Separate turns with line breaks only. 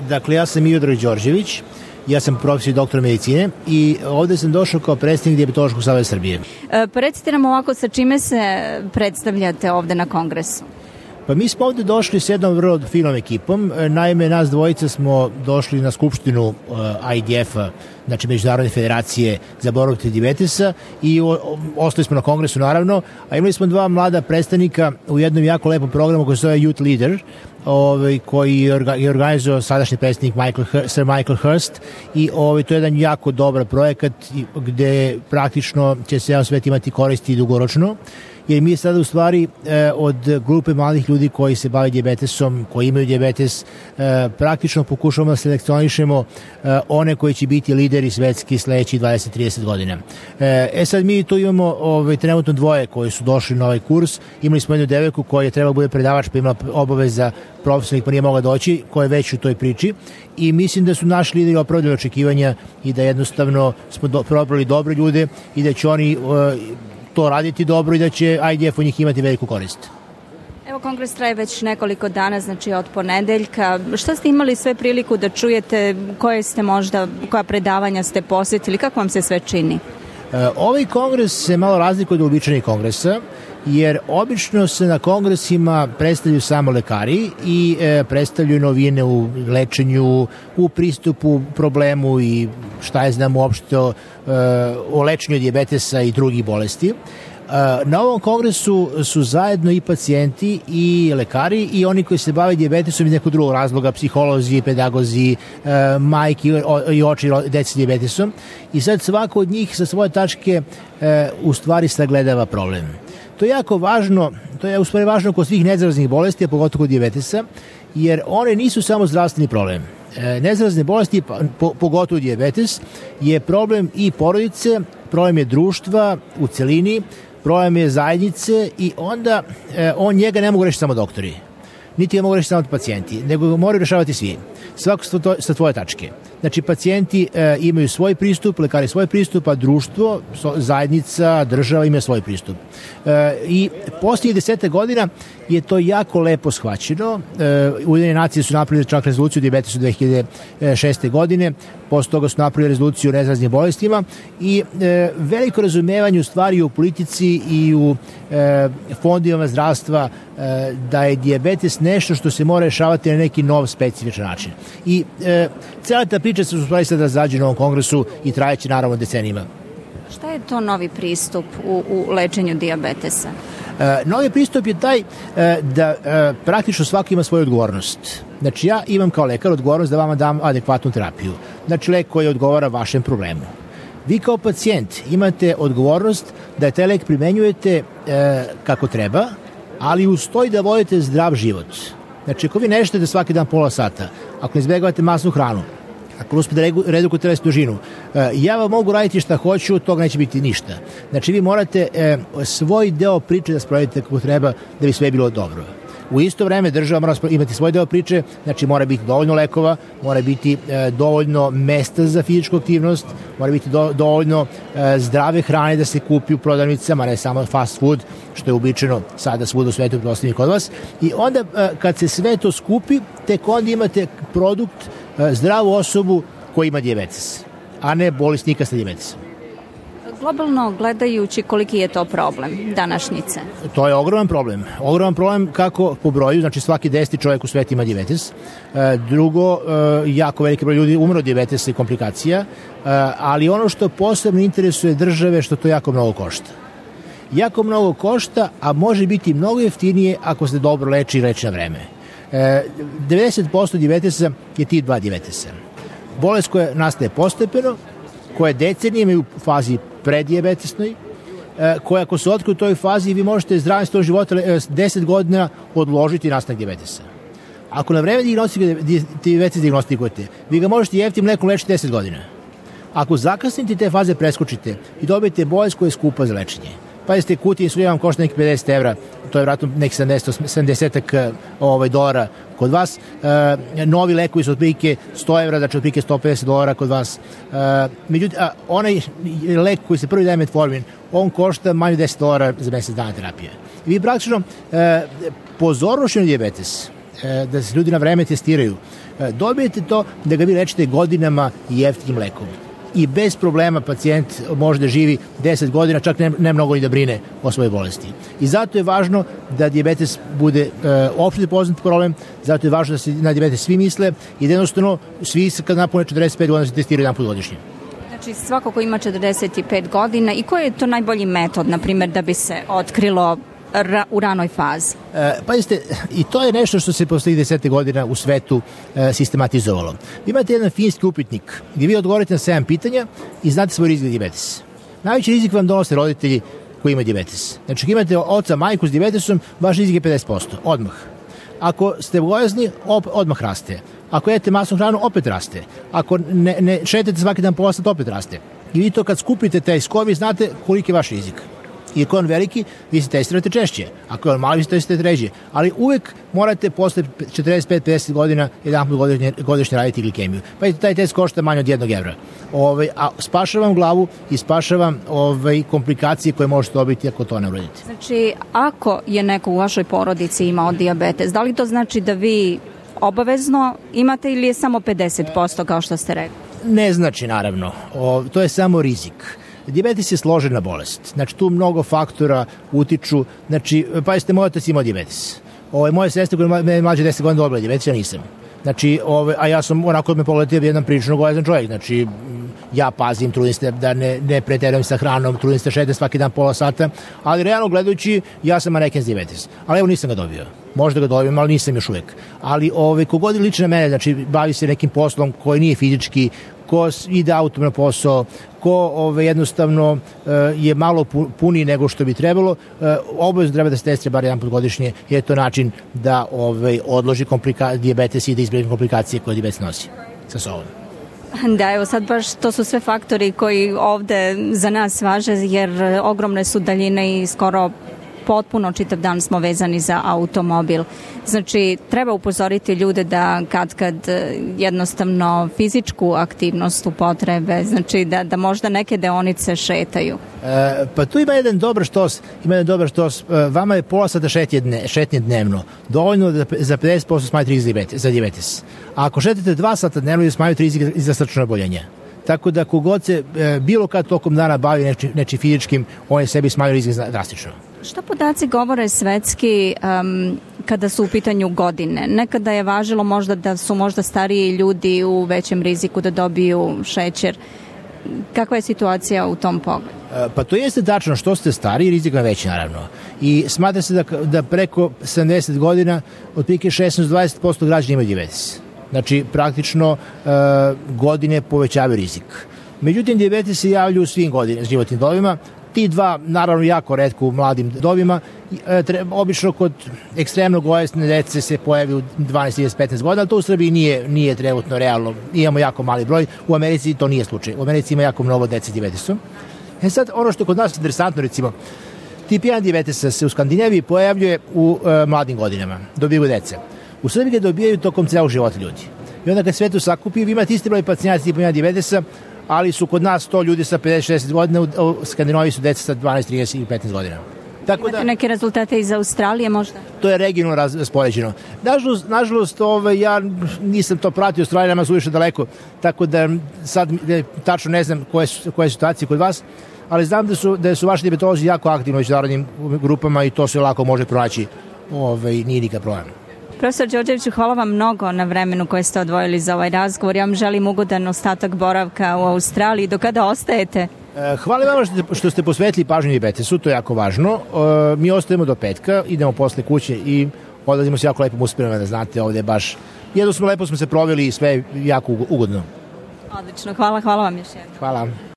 Dakle, ja sam Miodrag Đorđević, ja sam profesor i doktor medicine i ovde sam došao kao predstavnik Dijabetološkog saveza Srbije.
Recite nam ovako sa čime se predstavljate ovde na kongresu?
Pa mi smo ovde došli s jednom vrlo finom ekipom. Naime, nas dvojica smo došli na skupštinu IDF-a, znači Međunarodne federacije za borbu protiv dijabetesa, i ostali smo na kongresu naravno, a imali smo dva mlada predstavnika u jednom jako lepom programu koji se zove Youth Leader, koji je organizovao sadašnji predstavnik Sir Michael Hurst, i to je jedan jako dobar projekat gde praktično će se jedan svet imati koristi dugoročno, jer mi sada u stvari od grupe mladih ljudi koji se bave dijabetesom, koji imaju dijabetes, praktično pokušamo da selekcionišemo one koji će biti lideri svetski sledeći 20-30 godina. Sad mi tu imamo trenutno dvoje koji su došli na ovaj kurs. Imali smo jednu devojku koja je trebala bude predavač, pa imala obaveza profesionalnih, pa nije mogla doći, koja je već u toj priči, i mislim da su naši lideri opravdali očekivanja i da jednostavno smo probrali dobre ljude i da će oni to raditi dobro i da će IDF u njih imati veliku korist.
Evo, kongres traje već nekoliko dana, znači od ponedeljka. Šta ste imali sve priliku da čujete, koja predavanja ste posjetili, kako vam se sve čini?
Ovaj kongres se malo razlikuje od uobičajenih kongresa, jer obično se na kongresima predstavljaju samo lekari i predstavljaju novine u lečenju, u pristupu problemu i šta je znam uopšte o lečenju dijabetesa i drugih bolesti. Na ovom kongresu su zajedno i pacijenti i lekari i oni koji se bave dijabetesom iz nekog drugog razloga, psiholozi, pedagozi, majki i oči dece s dijabetesom, i sad svako od njih sa svoje tačke u stvari sagledava problem. To je jako važno, to je u stvari važno kod svih nezaraznih bolesti, a pogotovo kod dijabetesa, jer one nisu samo zdravstveni problem. Nezarazne bolesti, pogotovo dijabetes, je problem i porodice, problem je društva u celini, problem je zajednice, i onda njega ne mogu rešiti samo doktori, niti ga mogu rešiti samo pacijenti, nego ga moraju rešavati svi, svako sa tvoje tačke. Znači, pacijenti imaju svoj pristup, lekari svoj pristup, a društvo, zajednica, država imaju svoj pristup. I posljednjih 10 godina je to jako lepo shvaćeno. Ujedinjene nacije su napravili čak rezoluciju o dijabetesu 2006. godine, posle toga su napravili rezoluciju o nezaraznim bolestima, i veliko razumevanje u stvari u politici i u fondovima zdravstva da je dijabetes nešto što se mora rešavati na neki nov specifičan način. I cela ta priča se u stvari sad razrađuje na ovom kongresu i trajeće naravno decenijima.
Šta je to novi pristup u lečenju dijabetesa?
Novi pristup je taj da praktično svaki ima svoju odgovornost. Znači, ja imam kao lekar odgovornost da vama dam adekvatnu terapiju. Znači, lek koji odgovara vašem problemu. Vi kao pacijent imate odgovornost da taj lek primenjujete kako treba, ali uz to i da vodite zdrav život. Znači, ako vi ne šete svaki dan pola sata, ako ne izbjegavate masnu hranu, ako uspete da redukujete telesnu težinu, ja vam mogu raditi šta hoću, od toga neće biti ništa. Znači, vi morate svoj deo priče da sprovedete kako treba da bi sve bilo dobro. U isto vreme država mora imati svoj deo priče, znači mora biti dovoljno lekova, mora biti dovoljno mesta za fizičku aktivnost, mora biti dovoljno zdrave hrane da se kupi u prodavnicama, ne samo fast food, što je uobičajeno sada svuda u svetu, pretpostavljam kod vas. I onda kad se sve to skupi, tek onda imate produkt, zdravu osobu koja ima dijabetes, a ne bolesnika sa dijabetesom.
Globalno gledajući, koliki je to problem današnjice?
To je ogroman problem. Ogroman problem kako po broju, znači svaki 10. čovjek u svetu ima dijabetes. Drugo, jako veliki broj ljudi umre od dijabetesa i komplikacija, ali ono što posebno interesuje države, što to jako mnogo košta. Jako mnogo košta, a može biti mnogo jeftinije ako se dobro leči i leči na vreme. 90% dijabetesa je tip 2 dijabetesa. Bolest koja nastaje postepeno, koja je decenijama u fazi preddiabetesnoj, koja ako se otkrije u toj fazi, vi možete zdravim svoj života 10 godina odložiti nastanak dijabetesa. Ako na vreme dijabetes diagnostikujete, vi ga možete jeftim lekom lečiti 10 godina. Ako zakasnite te faze preskočite i dobijete bolest koja je skupa za lečenje. Pazite, kutija insulina vam košta nekih 50 evra, to je vratno nekih 70 dolara kod vas. Novi lekovi su otprilike 100 evra, znači otprilike 150 dolara kod vas. Međutim, onaj lek koji se prvi daje metformin, on košta manje 10 dolara za mesec dana terapije. I vi praktično pozornošću na dijabetes da se ljudi na vreme testiraju, dobijete to da ga vi lečite godinama i jeftinim lekom. I bez problema pacijent može da živi 10 godina, čak ne mnogo ni da brine o svojoj bolesti. I zato je važno da dijabetes bude opšte poznat problem, zato je važno da se na dijabetes svi misle i da jednostavno svi kad napune 45 godina se testiraju jedan put godišnje.
Znači svako ko ima 45 godina i koji je to najbolji metod, na primjer, da bi se otkrilo u ranoj fazi?
Pazite, i to je nešto što se posle 10 godina u svetu sistematizovalo. Vi imate jedan finski upitnik gdje vi odgovorite na 7 pitanja i znate svoj rizik za dijabetes. Najveći rizik vam donose roditelji koji imaju dijabetes. Znači, ako imate oca, majku s dijabetesom, vaš rizik je 50%, odmah. Ako ste bojazni, odmah raste. Ako jedete masnu hranu, opet raste. Ako ne šetate svaki dan pola sata, opet raste. I vi to kad skupite taj skor, vi znate koliki je vaš rizik. I ako je on veliki, vi se testirate češće. Ako je on mali, vi se testirate ređe. Ali uvek morate posle 45-50 godina jedan put godišnje raditi glikemiju. Pa taj test košta manje od 1 evra. A spašavam glavu i spašavam komplikacije koje možete dobiti ako to ne uradite.
Znači, ako je neko u vašoj porodici imao dijabetes, da li to znači da vi obavezno imate ili je samo 50% kao što ste rekli?
Ne znači, naravno. To je samo rizik. Dijabetes je složena bolest. Znači, tu mnogo faktora utiču. Znači, pa jeste, moj otac imao dijabetes. Moje sestre koja je mlađe 10 godina dobila dijabetes, ja nisam. Znači, a ja sam onako me pogledati jedan prilično gojazan čovjek. Znači, ja pazim, trudim se da ne preterujem sa hranom, trudim se da šetam svaki dan pola sata, ali realno gledajući, ja sam maneken s dijabetes. Ali evo, nisam ga dobio. Možda ga dobijem, ali nisam još uvek. Ali kogod je lično mene, znači, bavi se nekim poslom koji nije fizički, ko ide autom na posao, ko jednostavno je malo puniji nego što bi trebalo, obavezno treba da se testira bar jedan put godišnje, jer je to način da odloži dijabetes i da izbjegne komplikacije koje dijabetes nosi sa sobom.
Da, evo sad baš to su sve faktori koji ovde za nas važe, jer ogromne su daljine i skoro potpuno čitav dan smo vezani za automobil. Znači, treba upozoriti ljude da kad jednostavno fizičku aktivnost upotrebe, znači da možda neke deonice šetaju.
Pa tu ima jedan dobar štos. Vama je pola sata šetnje dnevno. Dovoljno da za 50% smanjite rizik za dijabetes. A ako šetate 2 sata dnevno, smanjite rizik za srčno oboljenje. Tako da kogod se bilo kad tokom dana bavi nečim fizičkim, on je sebi smanjio rizik drastično.
Šta podaci govore svetski kada su u pitanju godine? Nekada je važilo možda da su možda stariji ljudi u većem riziku da dobiju šećer. Kakva je situacija u tom pogledu?
Pa to jeste tačno, što ste stariji, rizik je veći naravno. I smatra se da preko 70 godina otprilike 16-20% građana imaju dijabetes. Znači, praktično godine povećavaju rizik. Međutim, dijabetes se javlja u svim životnim dobima. Ti dva, naravno, jako retko u mladim dobima. Obično kod ekstremno gojasne dece se pojavi u 12-15 godina, ali to u Srbiji nije trenutno realno. Imamo jako mali broj. U Americi to nije slučaj. U Americi ima jako mnogo dece s dijabetesom. Sad, ono što je kod nas interesantno, recimo, tip 1 dijabetesa se u Skandinaviji pojavljuje u mladim godinama. Dobiju deca. U Srbiji ga dobijaju tokom celog života ljudi. I onda kad sve to sakupi, vi imate isti broj pacijenata tipa 1 dijabetesa, ali su kod nas to ljudi sa 50-60 godina, u Skandinaviji su deca sa 12, 30 i 15 godina.
Imate neke rezultate iz Australije možda?
To je regionalno raspoređeno. Nažalost, ja nisam to pratio, Australija nama su više daleko, tako da sad tačno ne znam koje situacije kod vas, ali znam da su vaši dijabetolozi jako aktivni u međunarodnim grupama i to se lako može pronaći, nije nikad problem.
Profesor Đorđeviću, hvala vam mnogo na vremenu koje ste odvojili za ovaj razgovor. Ja vam želim ugodan ostatak boravka u Australiji. Do kada ostajete?
Hvala vam što ste posvetili pažnju dijabetesu, to je jako važno. Mi ostajemo do petka, idemo posle kuće i odlazimo se jako lepim uspjerama, da znate, ovdje baš lepo smo se proveli i sve jako ugodno.
Odlično, hvala vam još jednom.
Hvala.